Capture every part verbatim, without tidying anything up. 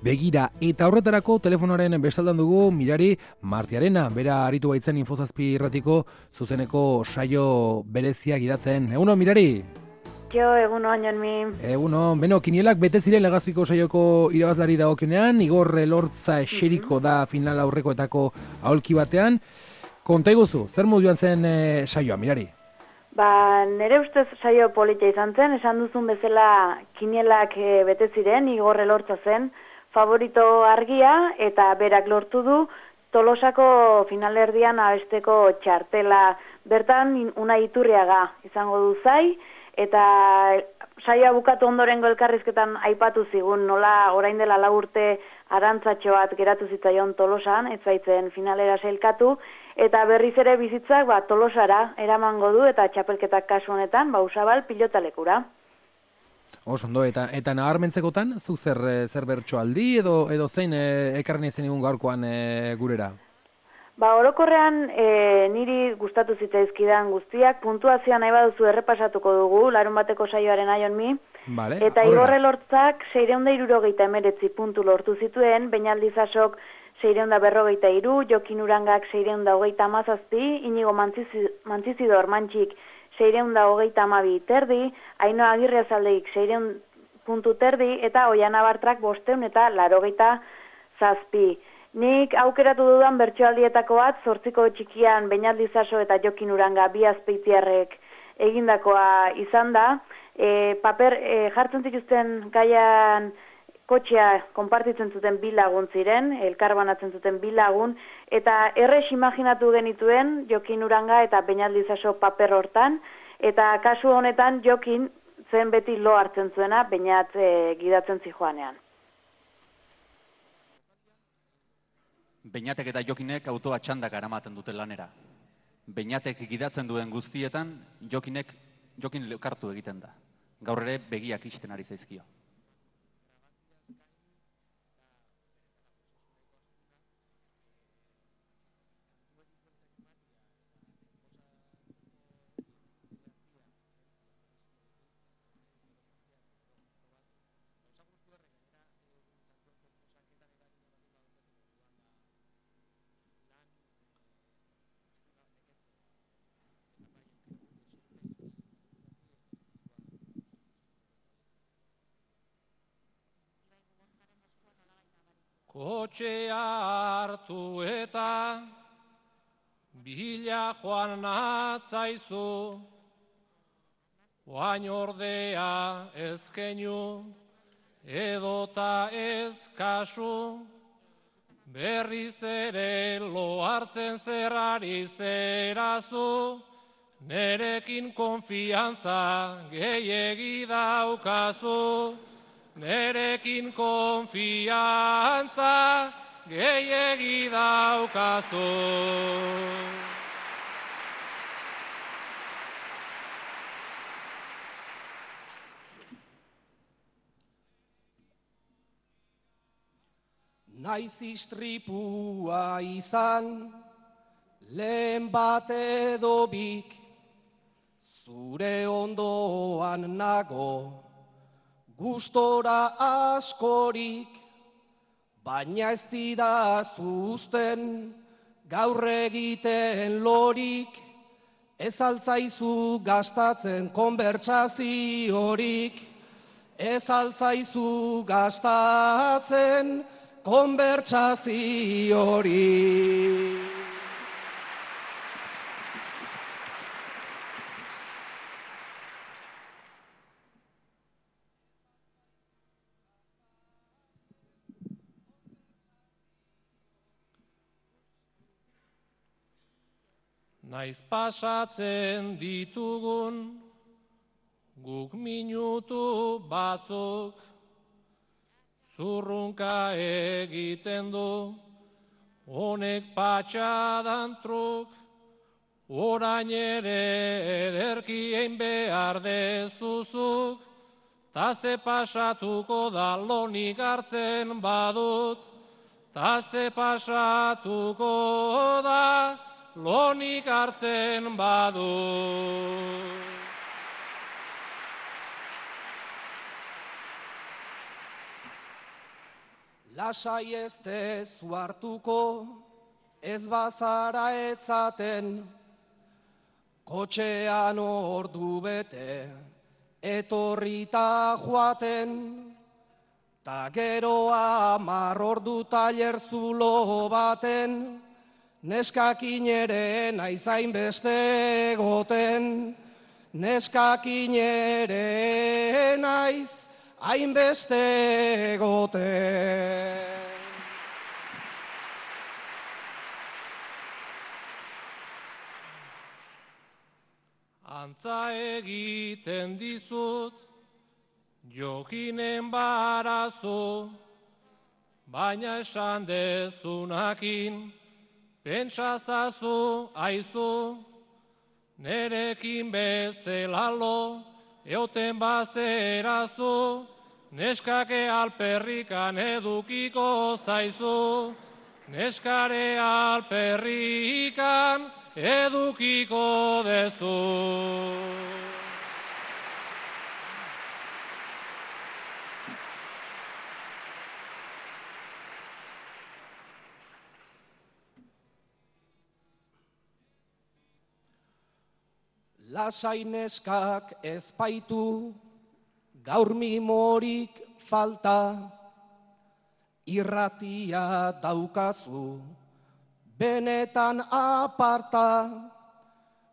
Begira, eta horretarako telefonoaren bestaldan dugu Mirari Martiarena, bera aritu baitzen Infozazpi irratiko zuzeneko saio berezia gidatzen. Egunon, Mirari? Jo, egunon, Jonmi. Egunon, beno, kinielak bete ziren Legazpiko saioko irabazlari dagokionean, Igor Elortza eseriko da final aurrekoetako aholki batean. Konta iguzu, zer modu joan zen e, saioa, Mirari? Ba, nire ustez saio politia izan zen, esan duzun bezala kinielak e, bete ziren, Igor Elortza zen, favorito argia eta berak lortu du Tolosako finalerdian abesteko txartela. Bertan Unai Iturriaga izango du zai, eta saioa bukatu ondorengo elkarrizketan aipatu zigun nola orain dela lau urte arantzatxo bat geratu zitzaion Tolosan, ez baitzen finalera sailkatu, eta berriz ere bizitzak ba, Tolosara eramango du eta txapelketak kasu honetan ba, Usabal pilotalekura. Oso ondo, eta, eta nabarmentzekotan, zu zer, zer bertso aldi edo, edo zein e, ekarren izen egun gaurkoan e, gurera? Ba, orokorrean e, niri gustatu zitzaizkidan guztiak, puntuazioa nahi baduzu errepasatuko dugu, larun bateko saioaren aion mi, vale, eta Igor Elortzak seiehun hirurogeita hemeretzi puntu lortu zituen, Beñaldizasok seiehun berrogeita hiru, Jokin Urangak seiehun hogeita hamazazpi, Inigo Mantzizidor Mantxik seiehun hogeita hamabi terdi, Ainhoa Agirrezaldeik seiehun puntu terdi, eta Oiana Bartrak bosteun eta larogeita zazpi. Nik aukeratu dudan bertsoaldietako bat, zortziko txikian Beñaldizaso eta Jokin Uranga bi azpeitiarrek egindakoa izan da. E, paper e, jartzen zituzten gaian kotxea konpartitzen zuten bi lagun ziren, elkarbanatzen zuten bi lagun, eta errex imaginatu genituen Jokin Uranga eta Beñaldizaso paper hortan, eta kasu honetan Jokin zen beti lo hartzen zuena, Beñat e, gidatzen zijoanean. Beñatek eta Jokinek autoa txandaka eramaten dute lanera. Beñatek gidatzen duen guztietan, Jokinek, Jokin lekartu egiten da. Gaur ere begiak ixten ari zaizkio. Kotxea hartu eta bila joan natzaizu, oain ordea ezkeinu edota ez kasu, berriz ere lo hartzen zerrari zerazu, nerekin konfiantza gehiegi daukazu. Nerekin konfiantza gehiegi daukazu. Naiz istripua izan, lehen bat edo bik, zure ondoan nago, gustora askorik, baina ez didazu uzten, gaur egiten lorik, ez altzaizu gastatzen konbertsaziorik, ez altzaizu gastatzen konbertsaziorik. Naiz pasatzen ditugun guk minutu batzuk, zurrunka egiten du honek patxadan truk, orain ere ederki egin behar dezuzuk, ta ze pasatuko da lonik hartzen badut, ta ze pasatuko da lonik hartzen badut. lasai ez dezu hartuko, ez bazara etzaten, kotxean ordu bete, etorrita joaten, ta gero amar ordu tailer zulo baten, neskakin ere naizain beste egoten, neskakin ere naiz hainbeste egoten. Antza egiten dizut, Jokinen barazu, baina esan dezunakin, pentsazazu aizu, nerekin bezelalo, eoten bazerazu, neskake alperrikan edukiko zaizu, neskare alperrikan edukiko dezu. Lasai neskak ez baitu, gaur mimorik falta, irratia daukazu, benetan aparta,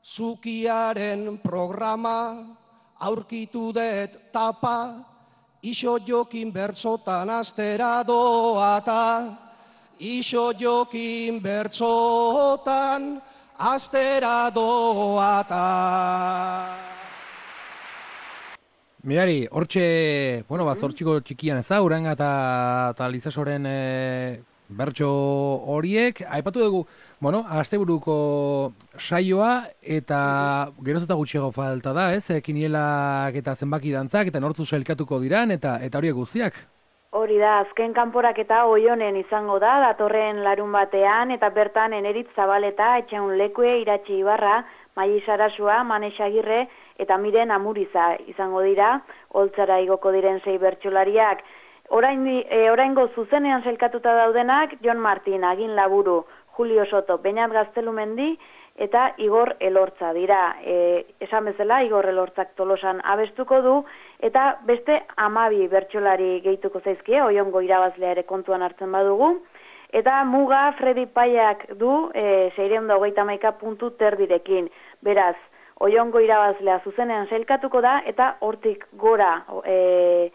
zukiaren programa, aurkitu dut tapa, iso jokin bertsotan astera doata, iso jokin bertsotan astera doata. Mirari, hortxe, bueno, ba, zortxiko txikian ez da, Uranga eta, eta Lizasoren e, bertso horiek, aipatu dugu, bueno, asteburuko saioa, eta geroz eta gutxiago falta da, ez, kinielak eta zenbaki dantzak, eta nortzu sailkatuko diran, eta eta horiek guztiak. Hori da, azken kanporaketa Oionen izango da, datorren larun batean, eta bertan Eneritz Zabaleta, Etxaun Lekue, Iratxe Ibarra, Maili Sarasua, Manex Agirre, eta Miren Amuriza izango dira, holtzara igoko diren sei bertsolariak. Orain, e, oraingo zuzenean sailkatuta daudenak, Jon Martin, Agin Laburu, Julio Soto, Beñat Gaztelumendi, eta Igor Elortza dira. E, esan bezala, Igor Elortzak Tolosan abestuko du, eta beste hamabi bertsolari gehituko zaizkie, Oiongo irabazlea ere kontuan hartzen badugu. Eta muga Fredi Paiak du e, seiehun eta hogeita hamaika puntu terdirekin. Beraz, Oiongo irabazlea zuzenean sailkatuko da, eta hortik gora e,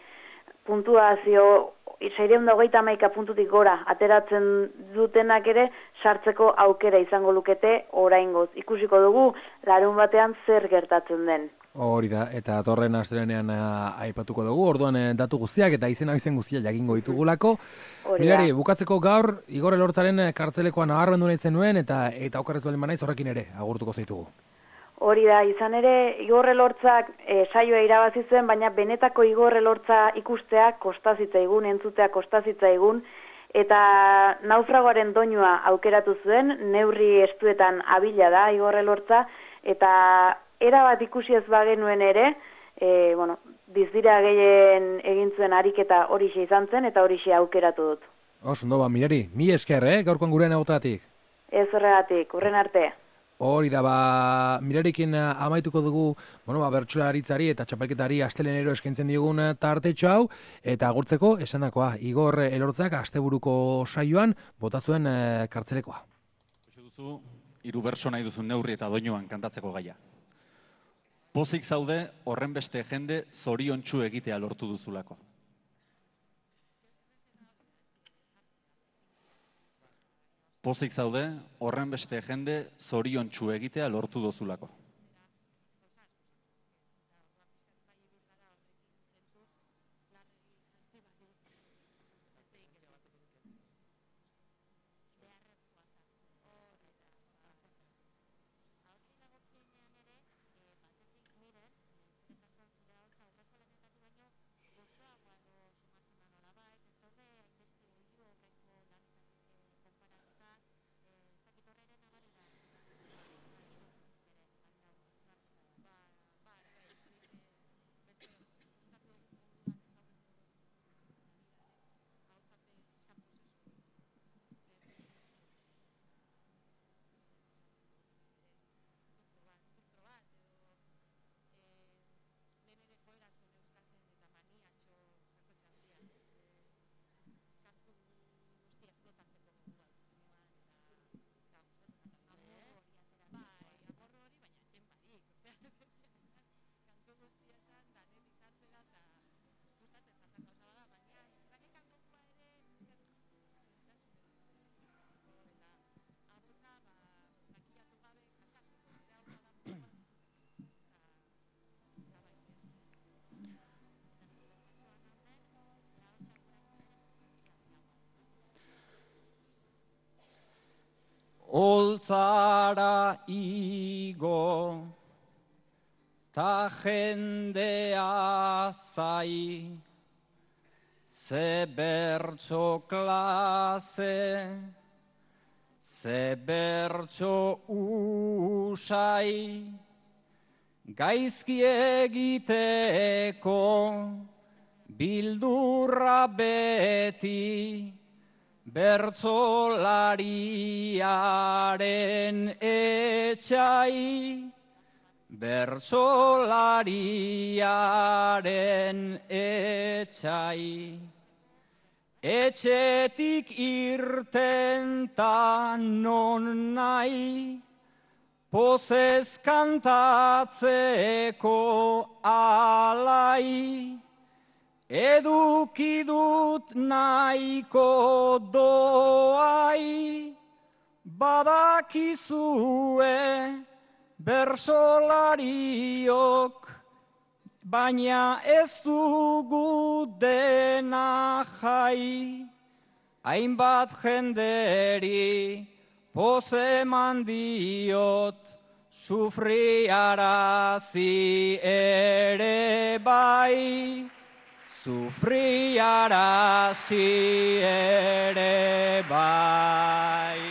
puntuazio seiehun eta hogeita hamaika puntutik gora ateratzen dutenak ere sartzeko aukera izango lukete oraingoz. Ikusiko dugu larun batean zer gertatzen den. Hori da, eta torren astelenean aipatuko dugu, orduan eh, datu guztiak eta izena izen guztiak jakingo ditugulako. Mirari, bukatzeko gaur, Igor Elortzaren kartzelekoa nabarmendu nahi zenuen, eta eta okerrez baldin banaiz horrekin ere agurtuko zaitugu. Hori da, izan ere, Igor Elortzak e, saioa irabazi zuen, baina benetako Igor Elortza ikustea kostazitzaigun, entzutea kostazitzaigun, eta naufragoaren doinua aukeratu zuen, neurri estuetan abila da Igor Elortza, eta erabat ikusi ez bagenuen ere, e, bueno, bizdira gehien egin zuen ariketa horixe izan zen, eta horixe aukeratu dut. Os, ondo ba, Mirari, mi esker, eh, gaurkoan gurean egotatik. Ez horregatik, urren arte. Hori da, ba, Mirarikin amaituko dugu, bueno, ba, bertsolaritzari eta txapelketari astelenero eskaintzen digun tartetxo hau, eta agurtzeko, esandakoa, Igor Elortzak asteburuko saioan bota zuen e, kartzelekoa. Ikusi duzu, hiru bertso nahi duzun neurri eta doinuan kantatzeko gaia. Pozik zaude horren beste jende zoriontsu egitea lortu duzulako. Pozik zaude horren beste jende zoriontsu egitea lortu duzulako. Oltzara igo, ta jendea zai, ze bertso klase, ze bertso usai, gaizki egiteko, bildurra beti, bertsolariaren etxai, bertsolariaren etxai. Etxetik irten ta non nahi, pozez kantatzeko alai, eduki dut nahiko doai, badakizue bersolariok, baina ez dugu dena jai, hainbat jenderi poze mandiot, sufriarazi ere bai, sufriarazi ere bai.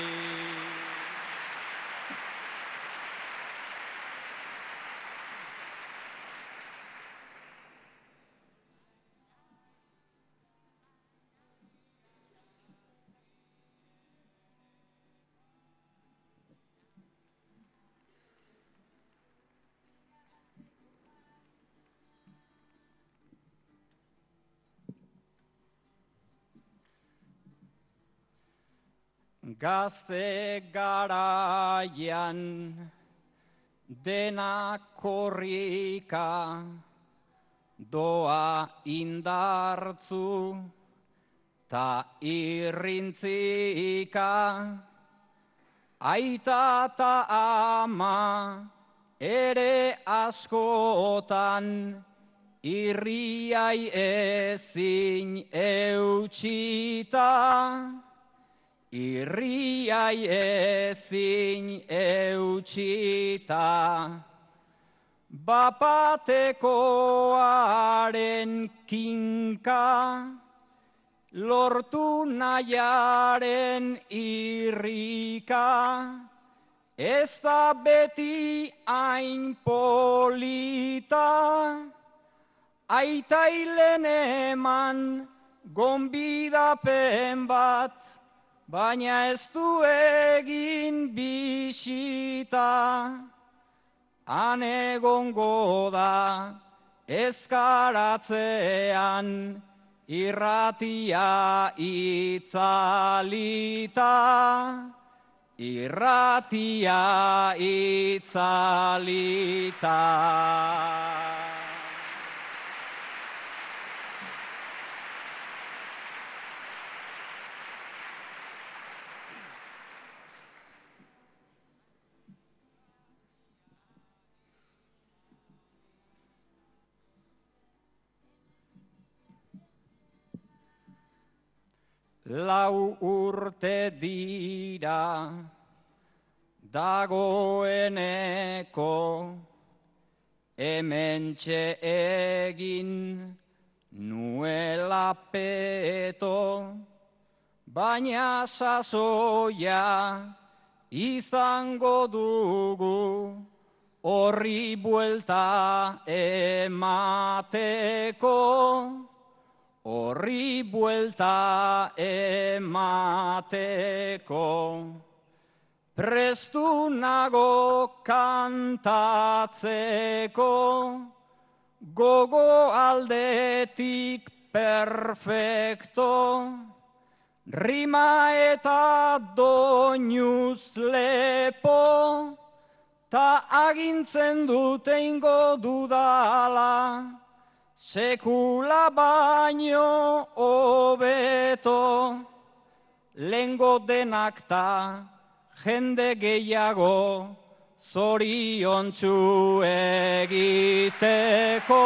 Gazte garaian dena korrika, doa indartzu ta irrintzika, aita ta ama ere askotan, irriai ezin eutxita, irriai ezin eutxita, bapatekoaren kinka, lortu nahiaren irrika, ez da beti hain polita, aitailen eman gonbidapen bat, baina ez du egin bisita, han egongo da ezkaratzean irratia itzalita, irratia itzalita. Lau urte dira dagoeneko, hementxe egin nuela peto, baina sasoia izango dugu horri buelta emateko. Horri buelta emateko, prestu nago kantatzeko, gogo aldetik perfecto, rima eta doinuz lepo, ta agintzen dute ingo dudala, sekula baino hobeto, lengo denak ta jende gehiago, zoriontsu egiteko,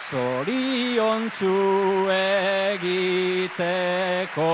zoriontsu egiteko.